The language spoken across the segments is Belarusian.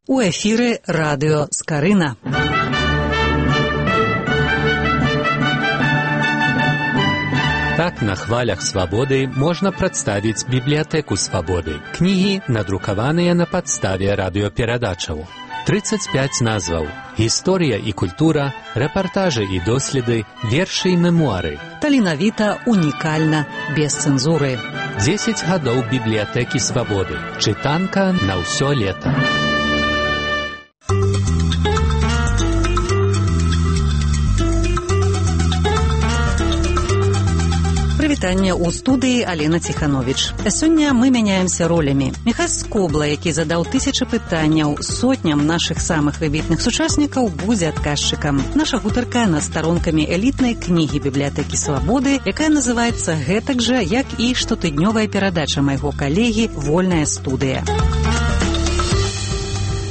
У эфіры радыё Скарына. Так на хвалях свабоды можна прадставіць бібліятэку свабоды. Кнігі, надрукаваныя на падставе радыёперадачаў. 35 назваў. Гісторыя і культура, рэпартажы і доследы, вершы і мемуары. Таленавіта, унікальна, без цэнзуры. 10 гадоў бібліятэкі свабоды. Чытанка на ўсё лета. Вітанне ў студыі Алена Ціхановіч. Сёння мы мяняемся ролямі. Міхась Скобла, які задаў тысячы пытанняў сотням нашых самых выбітных сучаснікаў, будзе адказчыкам. Наша гутарка над старонкамі элітнай кнігі бібліятэкі свабоды, якая называецца гэтак жа, як і штотыднёвая перадача майго калегі «Вольная студыя».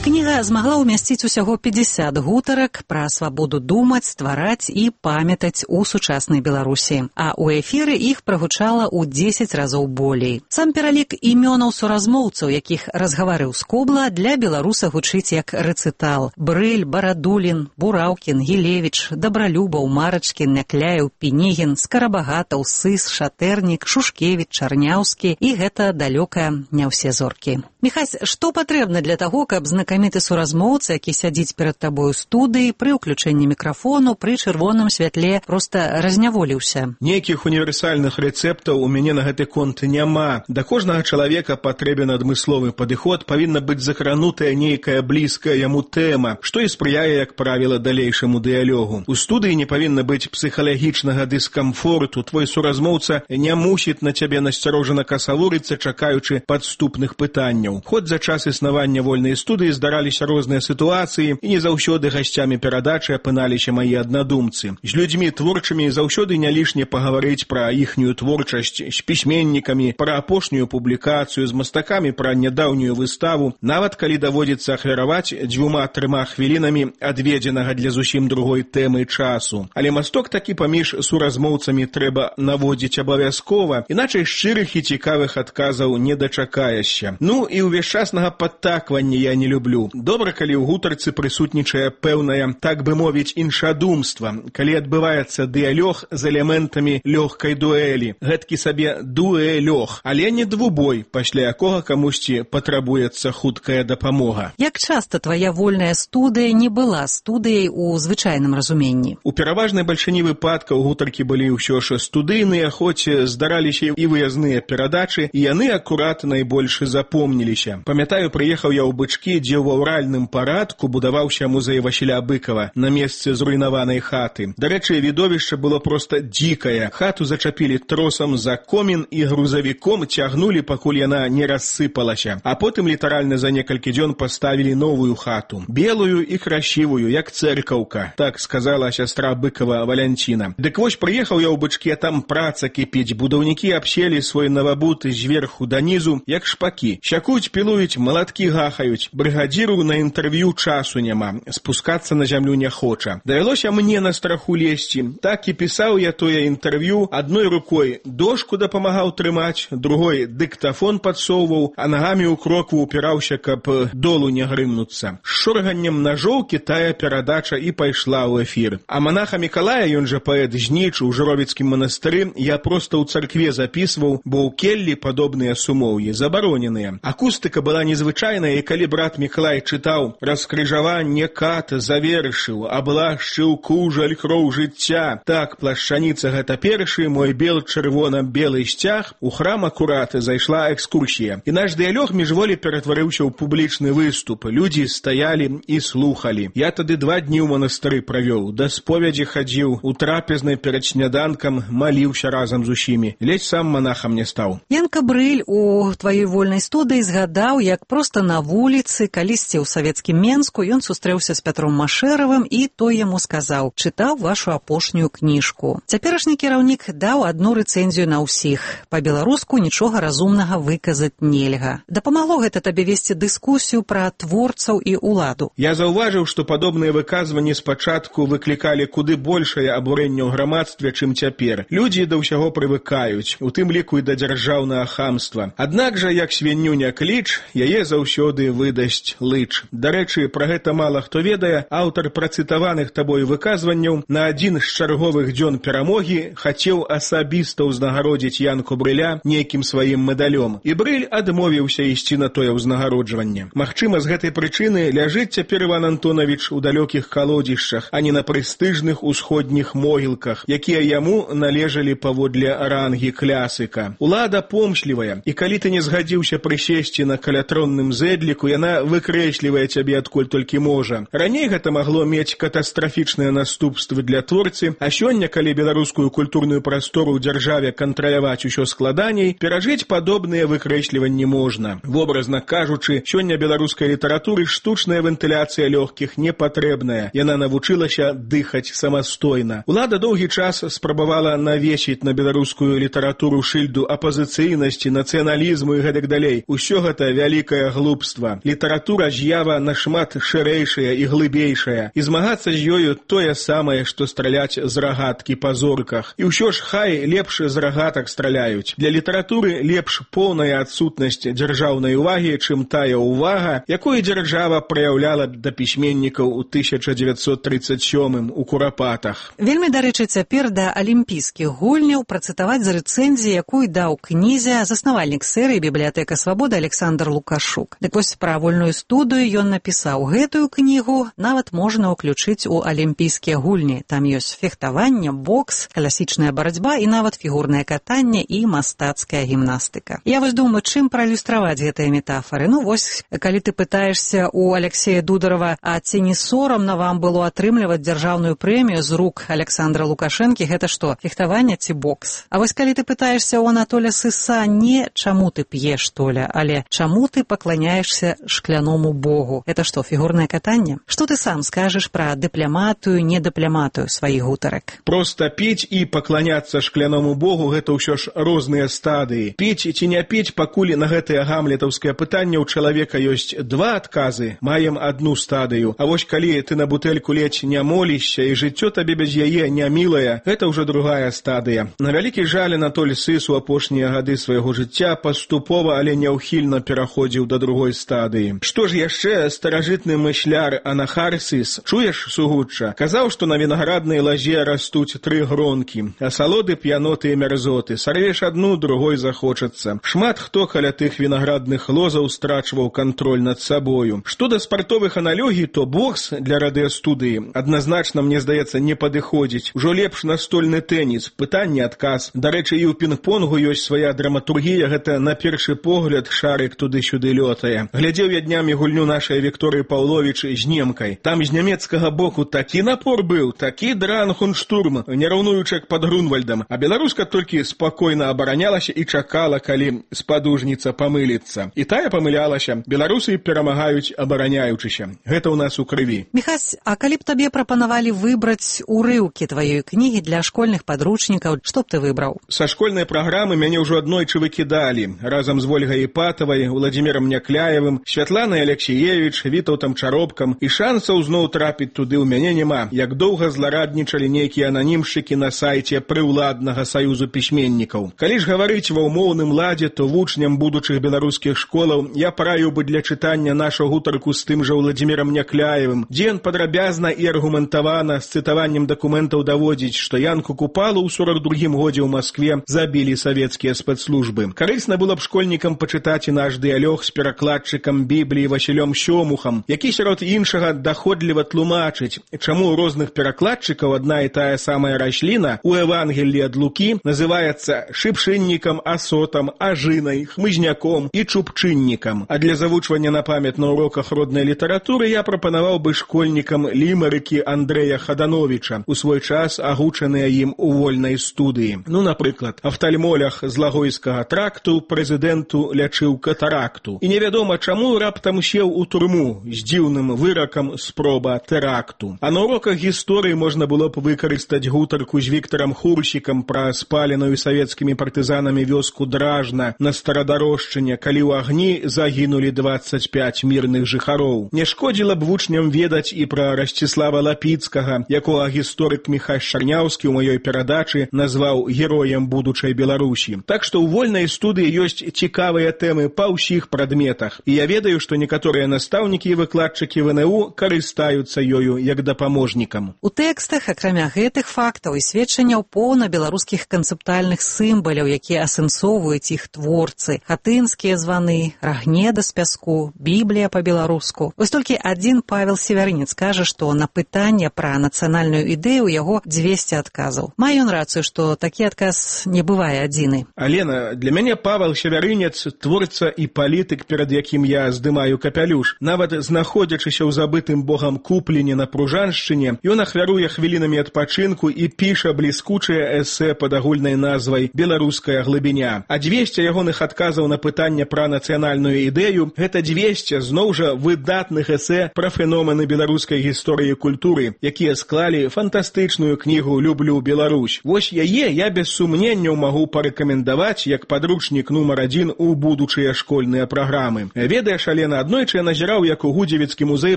Кніга змагла ўмясціць усяго 50 гутарак пра свабоду думаць, ствараць і памятаць у сучаснай Беларусі. А ў эфіры іх прагучала ў 10 разоў болей. Сам пералік імёнаў суразмоўцаў, якіх разгаварыў Скобла, для беларуса гучыць як рэцытал. Брыль, Барадулін, Бураўкін, Гілевіч, Дабралюбаў, Марачкін, Някляеў, Пінігін, Скарабагатаў, Сыс, Шатэрнік, Шушкевіч, Чарняўскі і гэта далёка не ўсе зоркі. Міхась, што патрэбна для таго, каб знакаміты суразмоўца, які сядзіць перад табою студыі, пры ўключэнні мікрафону, пры чырвоным святле, проста разняволіўся? Нейкіх універсальных рэцэптаў у мяне на гэты конт няма. Да кожнага чалавека патрэбен адмысловы падыход, павінна быць закранутая нейкая блізкая яму тэма, што і спрыяе, як правіла, далейшаму дыялогу. У студыі не павінна быць псіхалагічнага дыскамфорту, твой суразмоўца не мусіць на цябе насцярожана касавурыцца, чакаючы падступных пытанняў. Хоць за час існавання вольнай студыі здараліся розныя сітуацыі, і не заўсёды гасцямі перадачы апыналіся мае аднадумцы. З людзьмі творчымі заўсёды не лішне пагаварыць пра іхнюю творчасць, з пісьменнікамі, пра апошнюю публікацыю, з мастакамі пра нядаўнюю выставу, нават калі даводзіцца ахвяраваць 2-3 хвілінамі адведзенага для зусім другой тэмы часу. Але масток такі паміж суразмоўцамі трэба наводзіць абавязкова, іначай шчырых і цікавых адказаў не дачакаешся. Ну і ўвесчаснага падтаквання я не люблю. Добра, калі ў гутарцы прысутнічае пэўнае, так бы мовіць, іншадумства, калі адбываецца дыялог з элементамі лёгкай дуэлі. Гэткі сабе дуэлёг, але не двубой, пасля якога камусьці патрабуецца хуткая дапамога. Як часта твая вольная студыя не была студыяй у звычайным разуменні? У пераважнай бальшыні выпадкаў гутаркі былі ўсё ж студыйныя, хоць здараліся і выязныя перадачы, і яны акурат найбольш запомніліся. Памятаю, прыехаў я ў Бычкі, дзе ў аўральным парадку будаваўся музей Васіля Быкава на месцы зруйнаванай хаты. Дарэчы, відовішча было проста дзікае. Хату зачапілі тросам за комін і грузавіком цягнулі, пакуль яна не рассыпалася. А потым літаральна за некалькі дзён паставілі новую хату. Белую і красивую, як цэркаўка, так сказала сястра Быкава Валянціна. Дык вось прыехаў я ў Бычкі, а там праца кіпіць. Будаўнікі абселі свой навабуты зверху данізу, як шпакі. Сякуць, пілуюць, малаткі гахаюць. Брыгадзіру на інтэрв'ю часу няма, спускацца на зямлю не хоча. Давялося мне на страху лезці. Так і пісаў я тое інтэрв'ю, адной рукой дошку дапамагаў трымаць, другой дыктафон падсоўваў, а нагамі ў крокву упіраўся, каб долу не грымнуцца. З шорганнем нажоўкі тая перадача і пайшла ў эфір. А манаха Мікалая, ён жа паэт Жніч, у Жыровіцкім манастыры, я проста ў царкве запісваў, бо ў келлі падобныя сумоўі забароненыя. Акустыка была незвычайная, і калі брат Мікалай чытаў раскрыжаванне кат завершыў, аблашчыў кужаль кроў жыцця. Так, плашчаніца гэта першы, мой бел-чырвона-белы сцяг, у храм акурат зайшла экскурсія. І наш дыялог міжволі ператварыўся ў публічны выступ. Людзі стаялі і слухалі. Я тады 2 дні ў манастыры правёў, да споведзі хадзіў, у трапезнай перад сняданкам маліўся разам з усімі. Ледзь сам манахам не стаў. Янка Брыль у тваёй вольнай студыі згадаў, як проста на вуліцы, калісьці ў савецкім Менску, ён сустрэўся з Пятром Машэравым, і той яму сказаў: «Чытаў вашу апошнюю кніжку». Цяперашні кіраўнік даў адну рэцэнзію на ўсіх. Па-беларуску нічога разумнага выказаць нельга. Дапамагло гэта табе весці дыскусію пра творцаў і ўладу? Я заўважыў, што падобныя выказванні спачатку выклікалі куды большае абурэнне ў грамадстве, чым цяпер. Людзі да ўсяго прывыкаюць, у тым ліку і да дзяржаўнага хамства. Аднак жа, як свінню не кліч, яе заўсёды выдасць лыч. Дарэчы, пра гэта мала хто ведае, аўтар працытаваных табой выказванняў на адзін з чарговых дзён перамогі хацеў асабіста ўзнагародзіць Янку Брыля нейкім сваім медалём. І Брыль адмовіўся ісці на тое ўзнагароджванне. Магчыма, з гэтай прычыны ляжыць цяпер Іван Антонавіч у далёкіх калодзішчах, а не на прэстыжных усходніх могілках, якія яму належалі паводле рангі клясыка. Улада помшлівая, і калі ты не згадзіўся прысесці на калятронным зэдліку, яна выкрэслівае цябе адкуль толькі можа. Раней гэта магло мець катастрафічныя наступствы для творцы, а сёння, калі беларускую культурную прастору ў дзяржаве кантраляваць усё складаней, перажыць падобныя выкрэсліванні можна. Вобразна кажучы, сёння беларускай літаратуры штучная вентыляцыя лёгкіх не патрэбная. Яна навучылася дыхаць самастойна. Улада доўгі час спрабавала навесіць на беларускую літаратуру шыльду апазіцыйнасці, нацыяналізму і гэтак далей. Усё гэта вялікае глупства. Літаратура з'ява нашмат шырэйшая і глыбейшая. І змагацца з ёю тое самае, што страляць з рагаткі па зорках. І ўсё ж хай лепш з рагатак страляюць. Для літаратуры лепш поўная адсутнасць дзяржаўнай увагі, чым тая ўвага, якую дзяржава праяўляла да пісьменнікаў у 1937 у Курапатах. Вельмі, дарэчы, цяпер да алімпійскіх гульняў працытаваць з рэцэнзіі, якую даў кнізе заснавальнік серыі «Бібліятэка свабоды» Александр Лукашук. Дык вось пра вольную студыю ён напісаў: гэтую кнігу нават можна ўключыць у алімпійскія гульні. Там ёсць фехтаванне, бокс, класічная барацьба і нават фігурнае катанне і мастацкая гімнастыка. Я вось думаю, чым праілюстраваць гэтыя метафоры. Ну вось, калі ты пытаешься у Алексея Дударова, а ці не сорамна вам было атрымліваць дзяржаўную прэмію з рук Александра Лукашэнкі, гэта што, фехтаванне ці бокс? А вось калі ты пытаешься у Анатоля Сыса не чаму ты п'еш, Толя, але чаму ты пакланяешься шкляному богу? Это што, фігурнае катанне? Што ты сам скажаш пра дыпляматую, недыпляматую сваіх гутарак? Проста піць і пакланяцца шкляному богу — гэта ўсё ж розныя стадыі. Піць ці не піць, пакуль на гэтае гамлетаўскае пытанне ў чалавека ёсць два адказы, маем адну стадыю. А вось калі ты на бутэльку ледзь не молішся і жыццё табе без яе не мілае, гэта ўжо другая стадыя. На вялікі жаль, Анатоль Сыс у апошнія гады свайго жыцця паступова, але няўхільна пераходзіў да другой стадыі. Што ж яшчэ старажытны мысляр Анахар Сыс, чуеш, сугучча, казаў, што на вінаграднай лазе растуць тры гронкі, асалоды, п'яноты і мярзоты. Сарвеш адну, другой захочацца. Шмат хто каля тых вінаградных лозаў страчваў кантроль над сабою. Што да спартовых аналогій, то бокс для радыёстудыі адназначна, мне здаецца, не падыходзіць. Ужо лепш настольны тэніс, пытанне-адказ. Дарэчы, і ў пінг-понгу ёсць свая драматургія, гэта на першы погляд шарык туды-сюды лётае. Глядзеў я днямі гульню нашай Вікторыі Паўловіч з немкай. Там з нямецкага боку такі напор быў, такі дранхунштурм, не раўнуючы як пад Грунвальдам, а беларуска толькі спакойна абаранялася і чакала, калі спадужніца памыліцца. І тая памылялася. Беларусы перамагаюць абараняючыся. Гэта ў нас у крыві. Міхась, а калі б табе прапанавалі выбраць урыўкі тваёй кнігі для школьных падручнікаў, што б ты выбраў? Са школьнай праграмы мяне ўжо аднойчы выкідалі. Разам з Вольгай Іпатавай, Уладзімірам Някляевым, Святланай Алексіевіч, Вітаўтам Чаропкам. І шансаў зноў трапіць туды ў мяне няма. Як доўга злараднічалі нейкія ананімшчыкі на сайце прыўладнага саюзу пісьменнікаў. Калі ж гаварыць ва ўмоўным ладзе, то вучням будучых беларускіх школаў я параіў бы для чытання нашу гутарку з тым жа Уладзімірам Някляевым, дзе ён падрабязна і аргументавана з цытаваннем дакументаў даводзіць, што Янку Купалу ў 42-м годзе ў Маскве забілі савецкія спецслужбы. Карысна было б школьнікам пачытаць і наш дыялог з перакладчыкам Бібліі Васілём Сёмухам, які сярод іншага даходліва тлумачыць, чаму ў розных перакладчыкаў адна і тая самая расліна у Евангеллі ад Лукі называецца шыпшыннікам, асотам, ажынай, хмызняком і чупчыннікам. А для завучвання на памяць на уроках роднай літаратуры я прапанаваў бы школьнікам лімарыкі Андрэя Хадановіча, у свой час агучаныя ім у вольнай студыі. Ну, напрыклад, афтальмолях з Лагойскага тракту прэзідэнту лячыў катаракту. І невядома, чаму раптам сеў у турму з дзіўным выракам спроба тэракту. А на уроках гісторыі можна было б выкарыстаць гутарку з Віктарам Хурсікам пра спаленую савецкімі партызанамі вёску Дражна на Старадарожчыне, калі ў агні загінулі 25 мірных жыхароў. Не шкодзіла б вучням ведаць і пра Расціслава Лапіцкага, якога гісторык Міхась Шарняўскі ў маёй перадачы назваў героем будучай Беларусі. Так што ў вольнай студыі ёсць цікавыя тэмы па ўсіх прадметах. І я ведаю, што некаторыя настаўнікі і выкладчыкі ВНУ карыстаюцца ёю як дапаможнікам. У тэкстах, акрамя гэтых фактаў і сведчанняў, поўна беларускіх канцэптуальных сімваляў, якія асэнсоўваюць іх творцы: хатынскія званы, рагнеда з пяску, Біблія па-беларуску. Вось толькі адзін Павел Севярынец кажа, што на пытанне пра нацыянальную ідэю ў яго 200 адказаў. Мае ён рацыю, што такі адказ не бывае адзіны. Алена, для мяне Павел Севярынец творца і палітык, перад якім я здымаю капялюш. Нават знаходзячыся ў забытым богам Купліне на Пружаншчыне, ён ахвяруе хвілінамі адпачынку і піша бліскучае эсэ пад агульнай назвай «Беларуская глыбіня». А 200 ягоных адказаў на пытанне пра нацыянальную ідэю – гэта 200 зноў жа выдатных эсэ пра феномены беларускай гісторыі і культуры, якія склалі фантастычную кнігу «Люблю Беларусь». Вось яе я без сумненняў магу парэкамендаваць як падручнік нумар 1 у будучыя школьныя праграмы. Ведаеш, Алена, аднойчы я назіраў, як у Гудзевіцкі музей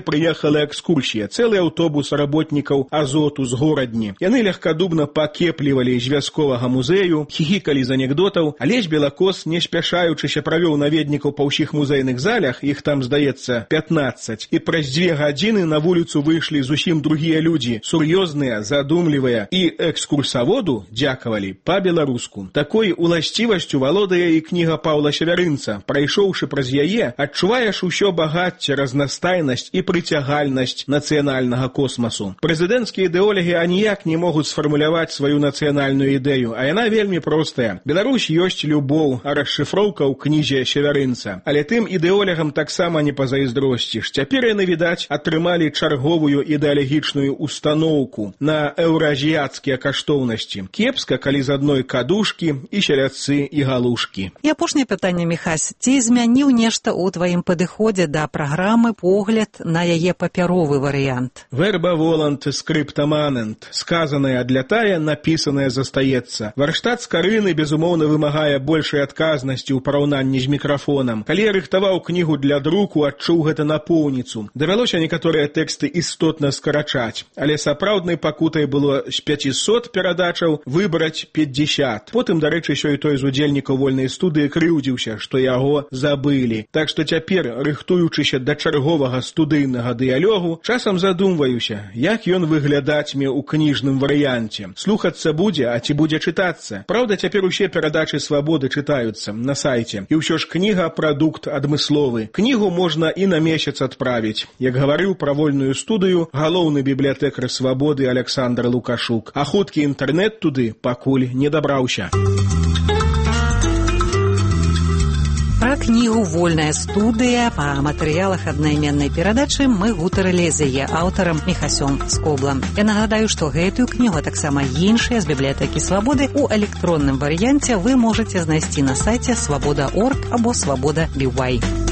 прыехала экскурсія, цэлы аўтобус работнікаў Азоту з горадні. Яны легкадубна пакеплівалі з вясковага музею, хіхікалі з анекдотаў, Алесь Белакос, не спяшаючыся, правёў наведнікаў па ўсіх музейных залях, іх там, здаецца, 15, і праз 2 гадзіны на вуліцу выйшлі зусім другія людзі, сур'ёзныя, задумлівыя, і экскурсаводу дзякавалі па-беларуску. Такой уласцівасцю валодае і кніга Паўла Севярынца. Прайшоўшы праз яе, адчуваеш усё багацце, разнастайнасць і прыцягальнасць нацыянальнага космасу. Прэзідэнцкія ідэолагі аніяк не могуць сфармуляваць сваю нацыянальную ідэю, а яна вельмі простая. Беларусь ёсць любоў, а расшыфроўка ў кнізе Севярынца. Але тым ідэолагам таксама не пазайздросціш. Цяпер яны, відаць, атрымалі чарговую ідэалагічную устаноўку на еўразіяцкія каштоўнасці. Кепска, калі з адной кадушкі і сялядцы і галушкі. І апошняе пытанне, Міхась. Ці змяніў нешта ў тваім падыходзе да праграмы погляд на яе папяровы варыянт? Верба волант, скрипта манент. Сказанае адлятае, напісанае застаецца. Варштат скарыны, безумоўна, вымагае большай адказнасці ў параўнанні з мікрафонам. Калі я рыхтаваў кнігу для друку, адчуў гэта напоўніцу. Давялося некаторыя тэксты істотна скарачаць, але сапраўднай пакутай было з 500 перадачаў выбраць 50. Потым, дарэчы, сёй-той з удзельнікаў вольнай студыі крыўдзіўся, што яго забылі. Так што цяпер, рыхтуючыся да чарговага студыйнага дыялогу, часам задумваюся, як ён выглядатьме ў кніжным варыянце. Слухацца будзе, а ці будзе чытацца? Праўда, цяпер усе перадачы «Свабоды» чытаюцца на сайце. І ўсё ж кніга – прадукт адмысловы. Кнігу можна і на месяц адправіць. Як гаварыў пра вольную студыю галоўны бібліятэкар «Свабоды» Александр Лукашук. А хуткі інтэрнэт туды пакуль не дабраўся. Пра кнігу «Вольная студыя» па матэрыялах аднайменнай перадачы мы гутарылі з яе аўтарам Міхасём Скоблам. Я нагадаю, што гэтую кнігу, а таксама іншыя з бібліятэкі «Свабоды» у электронным варыянце вы можаце знайсці на сайце свабода.орг або свабода.by.